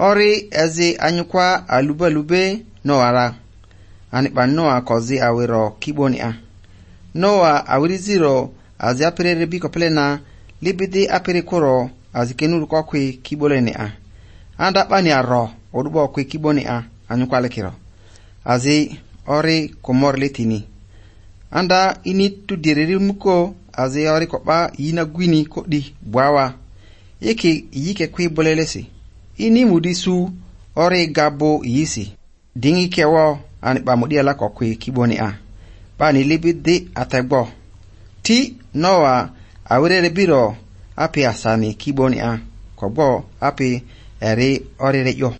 ori ezi anyukwa alube noara anipa noa kozi awiro kiboni a noa awiri ziro azi apere rebi kopelena libidi apere koro azi kenuru kokwe kiboleni a anda pani aro odubo kwe kiboni a anyukwa lekiro azi ori komor letini anda ini tu diriri muko azi ori kopa yina gwini kodi bwawa yike kwe bolelesi ini mudisu ori gabo yisi dingi kewo ani ba mudi ala kokwe kiboni a pani libidi atagbo ti noa awire biro api asani kiboni a kogbo api eri ori reyo